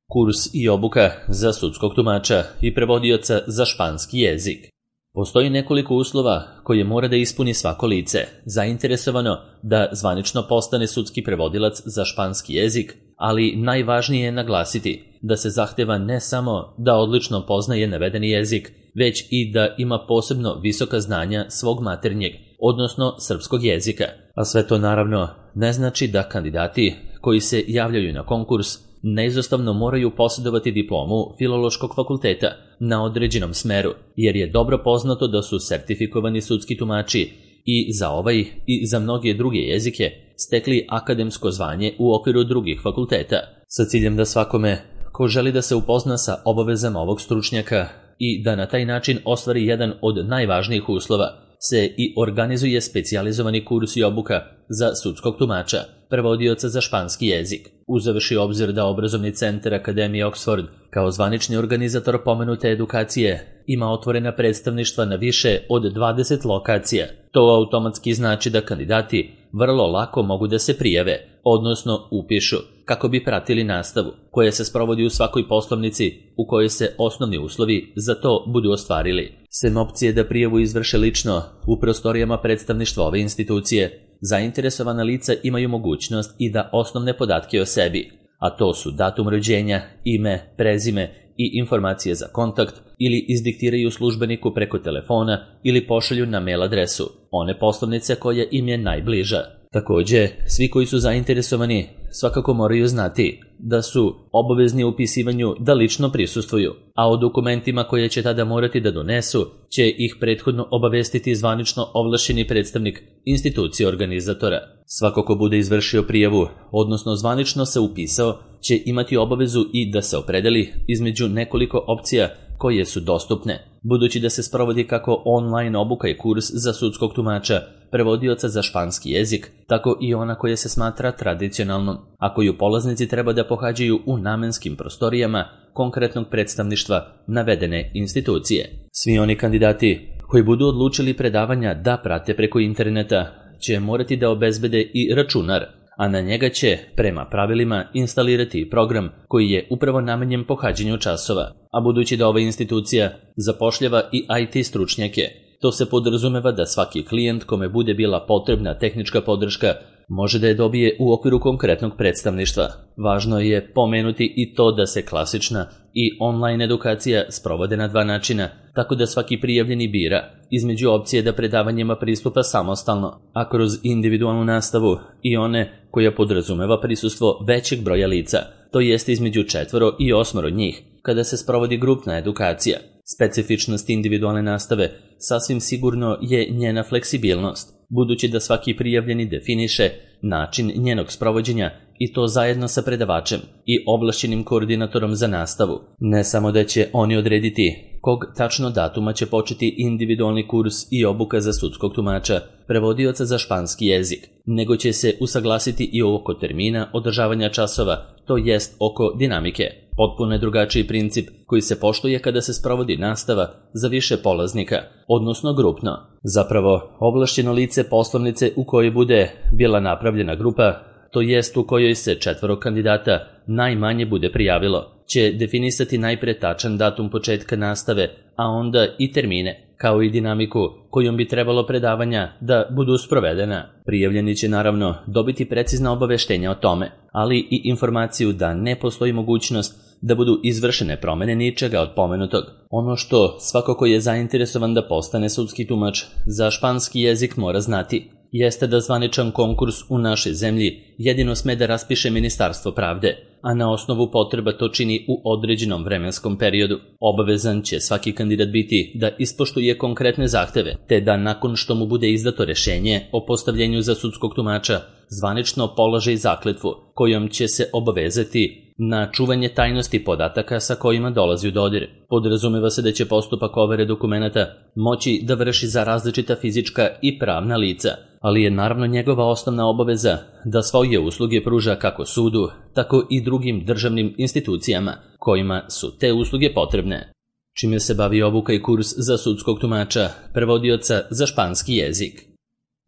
Kurs i obuka za sudskog tumača i prevodioca za španski jezik. Postoji nekoliko uslova koje mora da ispuni svako lice zainteresovano da zvanično postane sudski prevodilac za španski jezik, ali najvažnije je naglasiti da se zahteva ne samo da odlično poznaje navedeni jezik, već i da ima posebno visoka znanja svog maternjeg, odnosno srpskog jezika. A sve to naravno ne znači da kandidati koji se javljaju na konkurs neizostavno moraju posjedovati diplomu Filološkog fakulteta na određenom smeru, jer je dobro poznato da su sertifikovani sudski tumači i za ovaj i za mnoge druge jezike stekli akademsko zvanje u okviru drugih fakulteta, sa ciljem da svakome ko želi da se upozna sa obavezama ovog stručnjaka i da na taj način ostvari jedan od najvažnijih uslova, se i organizuje specijalizovani kurs i obuka za sudskog tumača, prevodioca za španski jezik. Uzevši obzir da obrazovni centar Akademije Oxford kao zvanični organizator pomenute edukacije ima otvorena predstavništva na više od 20 lokacija, to automatski znači da kandidati vrlo lako mogu da se prijave, odnosno upišu, kako bi pratili nastavu koja se sprovodi u svakoj poslovnici u kojoj se osnovni uslovi za to budu ostvarili. Sem opcije da prijavu izvrše lično u prostorijama predstavništva ove institucije, zainteresovana lica imaju mogućnost i da osnovne podatke o sebi, a to su datum rođenja, ime, prezime i informacije za kontakt, ili izdiktiraju službeniku preko telefona ili pošalju na mail adresu one poslovnice koja im je najbliža. Također, svi koji su zainteresovani svakako moraju znati da su obavezni u upisivanju da lično prisustvuju, a o dokumentima koje će tada morati da donesu će ih prethodno obavestiti zvanično ovlašćeni predstavnik institucije organizatora. Svako ko bude izvršio prijavu, odnosno zvanično se upisao, će imati obavezu i da se opredeli između nekoliko opcija koje su dostupne, budući da se sprovodi kako online obuka i kurs za sudskog tumača, prevodioca za španski jezik, tako i ona koja se smatra tradicionalnom, a koju polaznici treba da pohađaju u namenskim prostorijama konkretnog predstavništva navedene institucije. Svi oni kandidati koji budu odlučili predavanja da prate preko interneta će morati da obezbede i računar, a na njega će, prema pravilima, instalirati program koji je upravo namenjen pohađanju časova. A budući da ova institucija zapošljava i IT stručnjake, to se podrazumeva da svaki klijent kome bude bila potrebna tehnička podrška može da je dobije u okviru konkretnog predstavništva. Važno je pomenuti i to da se klasična i online edukacija sprovode na dva načina, tako da svaki prijavljeni bira između opcije da predavanjima pristupa samostalno, a kroz individualnu nastavu i one koja podrazumeva prisustvo većeg broja lica, to jest između 4 i 8 njih, kada se sprovodi grupna edukacija. Specifičnost individualne nastave sasvim sigurno je njena fleksibilnost, budući da svaki prijavljeni definiše način njenog sprovođenja i to zajedno sa predavačem i ovlašćenim koordinatorom za nastavu. Ne samo da će oni odrediti kog tačno datuma će početi individualni kurs i obuka za sudskog tumača, prevodioca za španski jezik, nego će se usaglasiti i oko termina održavanja časova, to jest oko dinamike. Potpuno je drugačiji princip koji se poštuje kada se sprovodi nastava za više polaznika, odnosno grupno. Zapravo, ovlašćeno lice poslovnice u kojoj bude bila napravljena grupa, to jest u kojoj se 4 kandidata najmanje bude prijavilo, će definisati najpre tačan datum početka nastave, a onda i termine, kao i dinamiku kojom bi trebalo predavanja da budu sprovedena. Prijavljeni će naravno dobiti precizna obaveštenja o tome, ali i informaciju da ne postoji mogućnost da budu izvršene promene ničega od pomenutog. Ono što svako ko je zainteresovan da postane sudski tumač za španski jezik mora znati, jeste da zvaničan konkurs u našoj zemlji jedino sme da raspiše Ministarstvo pravde, a na osnovu potreba to čini u određenom vremenskom periodu. Obavezan će svaki kandidat biti da ispoštuje konkretne zahteve, te da nakon što mu bude izdato rešenje o postavljenju za sudskog tumača, zvanično položi zakletvu kojom će se obavezati na čuvanje tajnosti podataka sa kojima dolazi u dodir. Podrazumeva se da će postupak overe dokumenata moći da vrši za različita fizička i pravna lica, ali je naravno njegova osnovna obaveza da svoje usluge pruža kako sudu, tako i drugim državnim institucijama kojima su te usluge potrebne. Čime se bavi obuka i kurs za sudskog tumača, prevodioca za španski jezik.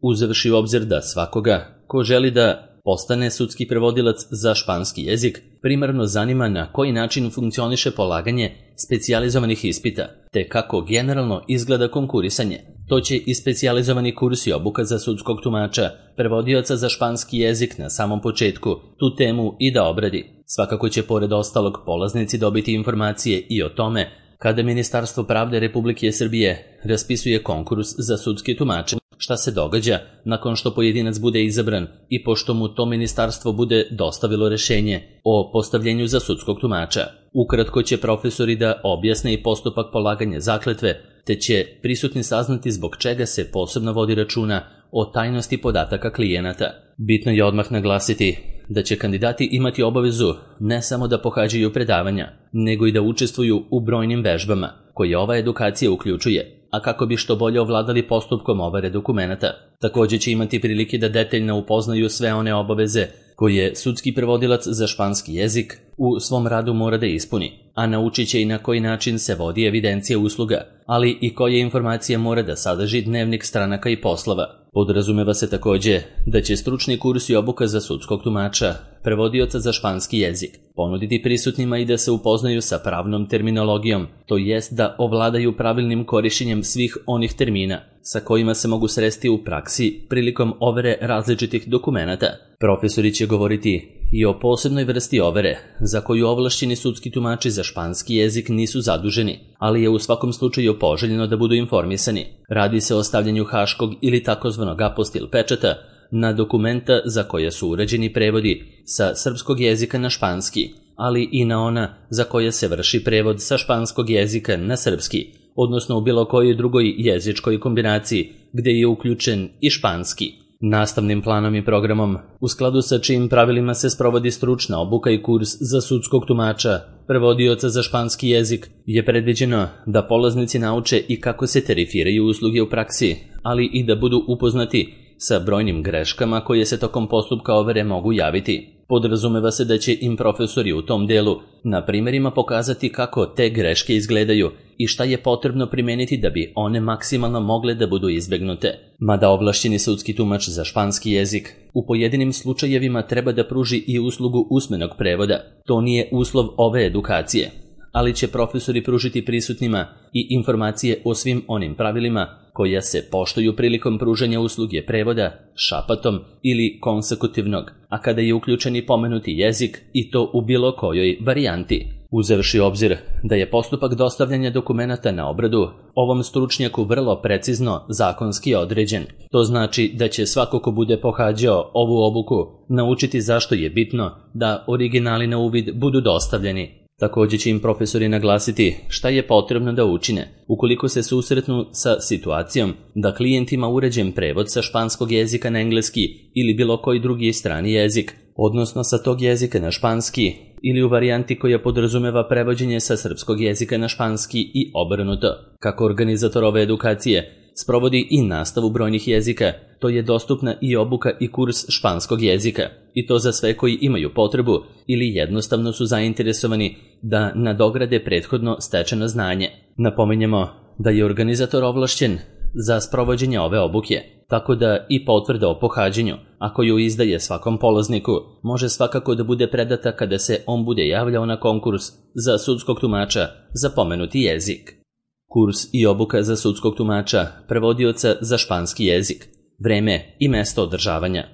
Uzevši u obzir da svakoga ko želi da postane sudski prevodilac za španski jezik, primarno zanima na koji način funkcioniše polaganje specijalizovanih ispita, te kako generalno izgleda konkurisanje. To će i specijalizovani kurs i obuka za sudskog tumača, prevodioca za španski jezik na samom početku tu temu i da obradi. Svakako će pored ostalog polaznici dobiti informacije i o tome kada Ministarstvo pravde Republike Srbije raspisuje konkurs za sudske tumače, šta se događa nakon što pojedinac bude izabran i pošto mu to ministarstvo bude dostavilo rešenje o postavljenju za sudskog tumača. Ukratko će profesori da objasne i postupak polaganja zakletve, te će prisutni saznati zbog čega se posebno vodi računa o tajnosti podataka klijenata. Bitno je odmah naglasiti da će kandidati imati obavezu ne samo da pohađaju predavanja, nego i da učestvuju u brojnim vežbama koje ova edukacija uključuje, a kako bi što bolje ovladali postupkom overe dokumenata. Također će imati prilike da detaljno upoznaju sve one obaveze koje sudski prevodilac za španski jezik u svom radu mora da ispuni, a naučit će i na koji način se vodi evidencija usluga, ali i koje informacije mora da sadrži dnevnik stranaka i poslova. Podrazumeva se također da će stručni kurs i obuka za sudskog tumača, prevodioca za španski jezik, ponuditi prisutnima i da se upoznaju sa pravnom terminologijom, to jest da ovladaju pravilnim korišćenjem svih onih termina sa kojima se mogu sresti u praksi prilikom overe različitih dokumenata. Profesori će govoriti i o posebnoj vrsti overe, za koju ovlašćeni sudski tumači za španski jezik nisu zaduženi, ali je u svakom slučaju poželjno da budu informisani. Radi se o stavljanju haškog ili takozvanog apostil pečata na dokumenta za koje su urađeni prevodi sa srpskog jezika na španski, ali i na ona za koje se vrši prevod sa španskog jezika na srpski, odnosno u bilo kojoj drugoj jezičkoj kombinaciji gde je uključen i španski. Nastavnim planom i programom, u skladu sa čijim pravilima se sprovodi stručna obuka i kurs za sudskog tumača, prevodioca za španski jezik, je predviđeno da polaznici nauče i kako se tarifiraju usluge u praksi, ali i da budu upoznati sa brojnim greškama koje se tokom postupka overe mogu javiti. Podrazumeva se da će im profesori u tom delu na primjerima pokazati kako te greške izgledaju i šta je potrebno primeniti da bi one maksimalno mogle da budu izbegnute. Mada ovlašćeni sudski tumač za španski jezik u pojedinim slučajevima treba da pruži i uslugu usmenog prevoda. To nije uslov ove edukacije, ali će profesori pružiti prisutnima i informacije o svim onim pravilima koja se poštuju prilikom pružanja usluge prevoda šapatom ili konsekutivnog, a kada je uključen i pomenuti jezik i to u bilo kojoj varijanti. Uzevši obzir da je postupak dostavljanja dokumenata na obradu ovom stručnjaku vrlo precizno zakonski određen. To znači da će svako ko bude pohađao ovu obuku naučiti zašto je bitno da originali na uvid budu dostavljeni. Također će im profesori naglasiti šta je potrebno da učine ukoliko se susretnu sa situacijom da klijent ima uređen prevod sa španskog jezika na engleski ili bilo koji drugi strani jezik, odnosno sa tog jezika na španski ili u varijanti koja podrazumeva prevođenje sa srpskog jezika na španski i obrnuto. Kako organizator ove edukacije sprovodi i nastavu brojnih jezika, to je dostupna i obuka i kurs španskog jezika, i to za sve koji imaju potrebu ili jednostavno su zainteresovani da nadograde prethodno stečeno znanje. Napominjemo da je organizator ovlašćen za sprovođenje ove obuke, tako da i potvrda o pohađanju, a koju izdaje svakom polazniku, može svakako da bude predata kada se on bude javljao na konkurs za sudskog tumača za pomenuti jezik. Kurs i obuka za sudskog tumača, prevodioca za španski jezik, vreme i mesto održavanja.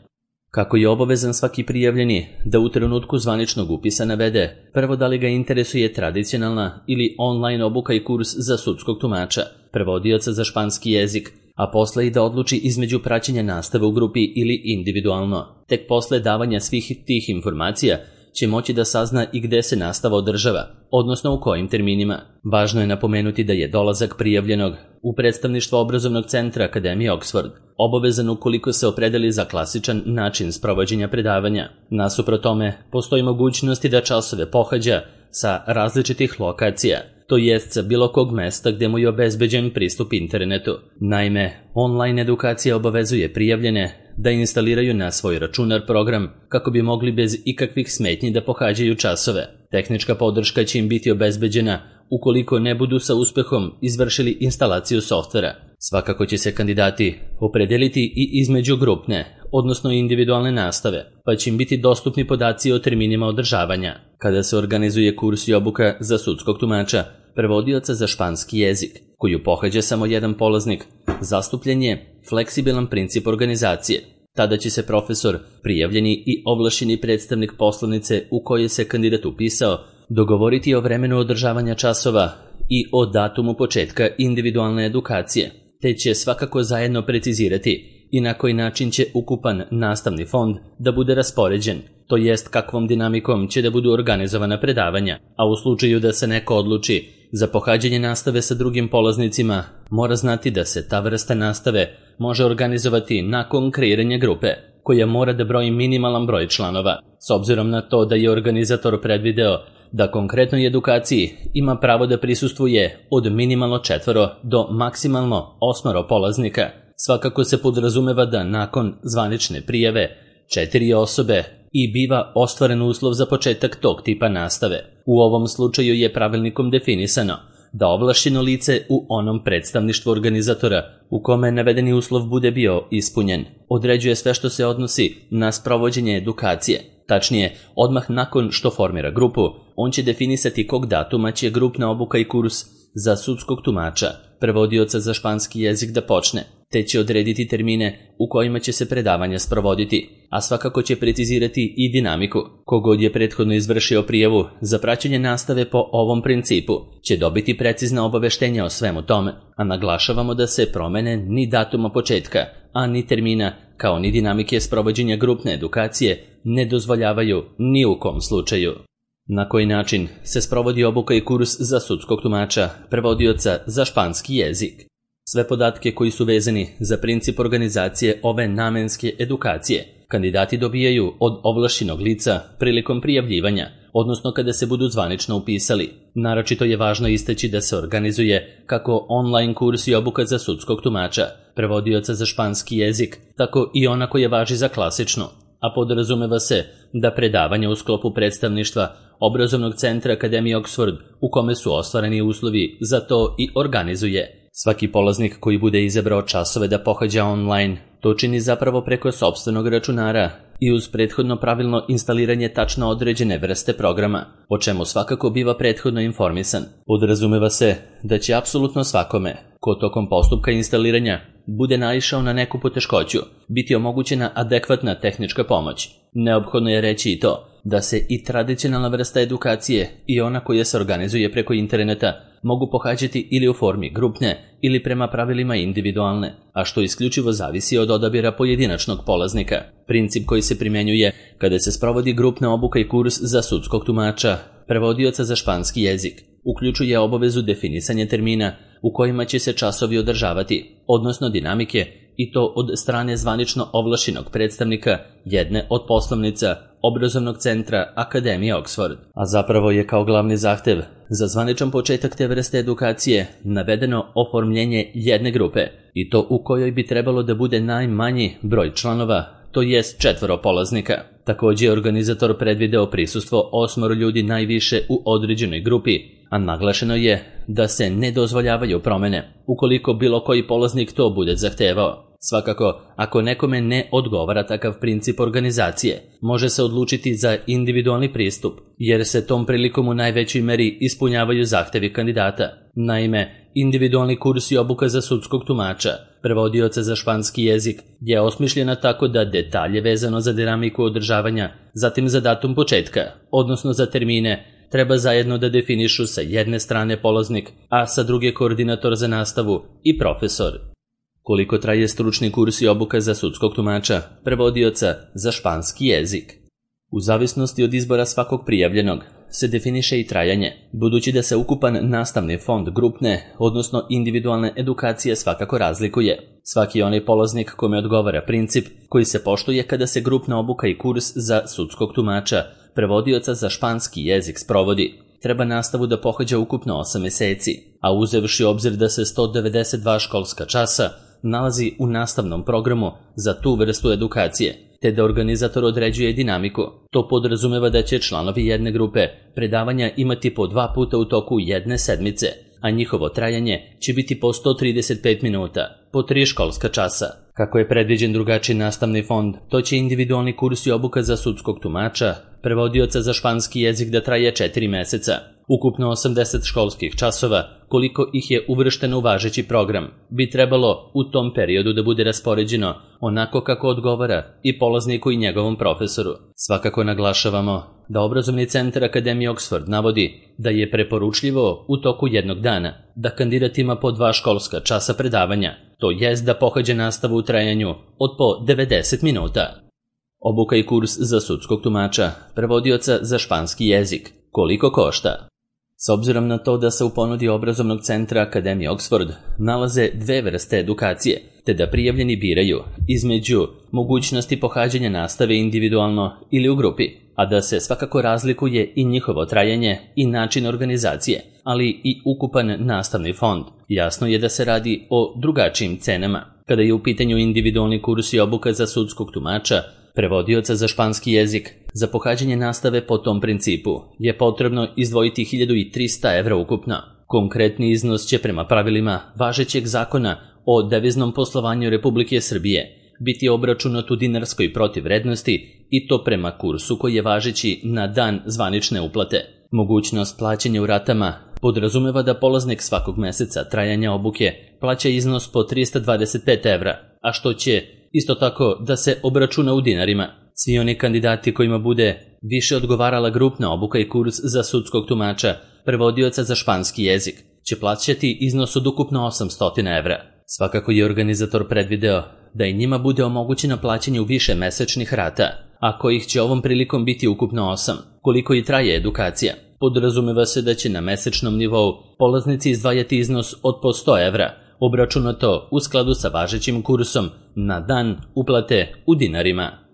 Kako je obavezan svaki prijavljeni da u trenutku zvaničnog upisa navede prvo da li ga interesuje tradicionalna ili online obuka i kurs za sudskog tumača, prevodioca za španski jezik, a posle i da odluči između praćenja nastave u grupi ili individualno. Tek posle davanja svih tih informacija će moći da sazna i gde se nastava održava, odnosno u kojim terminima. Važno je napomenuti da je dolazak prijavljenog u predstavništvo obrazovnog centra Akademije Oxford obavezan ukoliko se opredeli za klasičan način sprovođenja predavanja. Nasuprot tome, postoji mogućnosti da časove pohađa sa različitih lokacija, to jest sa bilo kog mesta gde mu je obezbeđen pristup internetu. Naime, online edukacija obavezuje prijavljene da instaliraju na svoj računar program kako bi mogli bez ikakvih smetnji da pohađaju časove. Tehnička podrška će im biti obezbeđena ukoliko ne budu sa uspehom izvršili instalaciju softvera. Svakako će se kandidati opredeliti i između grupne, odnosno individualne nastave, pa će im biti dostupni podaci o terminima održavanja. Kada se organizuje kurs i obuka za sudskog tumača, prevodioca za španski jezik, koju pohađa samo jedan polaznik, zastupljen je fleksibilan princip organizacije. Tada će se profesor, prijavljeni i ovlašćeni predstavnik poslovnice u kojoj se kandidat upisao, dogovoriti o vremenu održavanja časova i o datumu početka individualne edukacije, te će svakako zajedno precizirati i na koji način će ukupan nastavni fond da bude raspoređen, to jest kakvom dinamikom će da budu organizovana predavanja, a u slučaju da se neko odluči za pohađanje nastave sa drugim polaznicima, mora znati da se ta vrsta nastave može organizovati nakon kreiranja grupe, koja mora da broji minimalan broj članova, s obzirom na to da je organizator predvideo da konkretnoj edukaciji ima pravo da prisustvuje od minimalno 4 do maksimalno 8 polaznika. Svakako se podrazumeva da nakon zvanične prijave 4 osobe i biva ostvaren uslov za početak tog tipa nastave. U ovom slučaju je pravilnikom definisano da ovlašćeno lice u onom predstavništvu organizatora u kome navedeni uslov bude bio ispunjen, određuje sve što se odnosi na sprovođenje edukacije. Tačnije, odmah nakon što formira grupu, on će definisati kog datuma će grupna obuka i kurs za sudskog tumača, prevodioca za španski jezik da počne, te će odrediti termine u kojima će se predavanja sprovoditi, a svakako će precizirati i dinamiku. Kogod je prethodno izvršio prijavu za praćenje nastave po ovom principu će dobiti precizna obaveštenja o svemu tome, a naglašavamo da se promene ni datuma početka, a ni termina, kao ni dinamike sprovođenja grupne edukacije ne dozvoljavaju ni u kom slučaju. Na koji način se sprovodi obuka i kurs za sudskog tumača, prevodioca za španski jezik? Sve podatke koji su vezani za princip organizacije ove namenske edukacije kandidati dobijaju od ovlašćenog lica prilikom prijavljivanja, odnosno kada se budu zvanično upisali. Naročito je važno istaći da se organizuje kako online kurs i obuka za sudskog tumača, prevodioca za španski jezik, tako i ona koja važi za klasičnu, a podrazumeva se da predavanja u sklopu predstavništva obrazovnog centra Akademije Oxford u kome su ostvareni uslovi za to i organizuje. Svaki polaznik koji bude izabrao časove da pohađa online, to čini zapravo preko sopstvenog računara i uz prethodno pravilno instaliranje tačno određene vrste programa, o čemu svakako biva prethodno informisan. Podrazumeva se da će apsolutno svakome, ko tokom postupka instaliranja bude naišao na neku poteškoću, biti omogućena adekvatna tehnička pomoć. Neophodno je reći i to da se i tradicionalna vrsta edukacije i ona koja se organizuje preko interneta mogu pohađati ili u formi grupne ili prema pravilima individualne, a što isključivo zavisi od odabira pojedinačnog polaznika. Princip koji se primjenjuje kada se sprovodi grupna obuka i kurs za sudskog tumača, prevodioca za španski jezik, uključuje obavezu definisanja termina u kojima će se časovi održavati, odnosno dinamike, i to od strane zvanično ovlašćenog predstavnika jedne od poslovnica obrazovnog centra Akademije Oxford. A zapravo je kao glavni zahtev za zvaničan početak te vrste edukacije navedeno oformljenje jedne grupe, i to u kojoj bi trebalo da bude najmanji broj članova, to jest 4 polaznika. Također je organizator predvideo prisustvo 8 ljudi najviše u određenoj grupi, a naglašeno je da se ne dozvoljavaju promene ukoliko bilo koji polaznik to bude zahtevao. Svakako, ako nekome ne odgovara takav princip organizacije, može se odlučiti za individualni pristup, jer se tom prilikom u najvećoj meri ispunjavaju zahtevi kandidata. Naime, individualni kurs i obuka za sudskog tumača, prevodioca za španski jezik, je osmišljena tako da detalje vezano za dinamiku održavanja, zatim za datum početka, odnosno za termine, treba zajedno da definišu sa jedne strane polaznik, a sa druge koordinator za nastavu i profesor. Koliko traje stručni kurs i obuka za sudskog tumača, prevodioca za španski jezik? U zavisnosti od izbora svakog prijavljenog se definiše i trajanje, budući da se ukupan nastavni fond grupne, odnosno individualne edukacije svakako razlikuje. Svaki onaj polaznik kome odgovara princip koji se poštuje kada se grupna obuka i kurs za sudskog tumača, prevodioca za španski jezik sprovodi, treba nastavu da pohađa ukupno 8 meseci, a uzevši obzir da se 192 školska časa nalazi u nastavnom programu za tu vrstu edukacije, te da organizator određuje dinamiku. To podrazumeva da će članovi jedne grupe predavanja imati po 2 puta u toku jedne sedmice, a njihovo trajanje će biti po 135 minuta, po 3 školska časa. Kako je predviđen drugačiji nastavni fond, to će individualni kurs i obuka za sudskog tumača, prevodioca za španski jezik da traje 4 meseca, ukupno 80 školskih časova, koliko ih je uvršteno u važeći program, bi trebalo u tom periodu da bude raspoređeno onako kako odgovara i polazniku i njegovom profesoru. Svakako naglašavamo da obrazovni centar Akademije Oxford navodi da je preporučljivo u toku jednog dana da kandidat ima po 2 školska časa predavanja, to jest da pohađa nastavu u trajanju od po 90 minuta. Obuka i kurs za sudskog tumača, prevodioca za španski jezik. Koliko košta? S obzirom na to da se u ponudi obrazovnog centra Akademije Oxford nalaze 2 vrste edukacije, te da prijavljeni biraju između mogućnosti pohađanja nastave individualno ili u grupi, a da se svakako razlikuje i njihovo trajanje i način organizacije, ali i ukupan nastavni fond. Jasno je da se radi o drugačijim cenama. Kada je u pitanju individualni kurs i obuka za sudskog tumača, prevodioca za španski jezik, za pohađanje nastave po tom principu je potrebno izdvojiti 1300 evra ukupno. Konkretni iznos će prema pravilima važećeg zakona o deviznom poslovanju Republike Srbije biti obračunat u dinarskoj protivvrednosti i to prema kursu koji je važeći na dan zvanične uplate. Mogućnost plaćanja u ratama podrazumeva da polaznik svakog meseca trajanja obuke plaća iznos po 325 evra, a što će isto tako da se obračuna u dinarima. Svi oni kandidati kojima bude više odgovarala grupna obuka i kurs za sudskog tumača, prevodioca za španski jezik, će plaćati iznos od ukupno 800 evra. Svakako je organizator predvideo da i njima bude omogućeno plaćanje u više mesečnih rata, a kojih će ovom prilikom biti ukupno 8, koliko i traje edukacija. Podrazumeva se da će na mesečnom nivou polaznici izdvajati iznos od po 100 evra, obračunato u skladu sa važećim kursom na dan uplate u dinarima.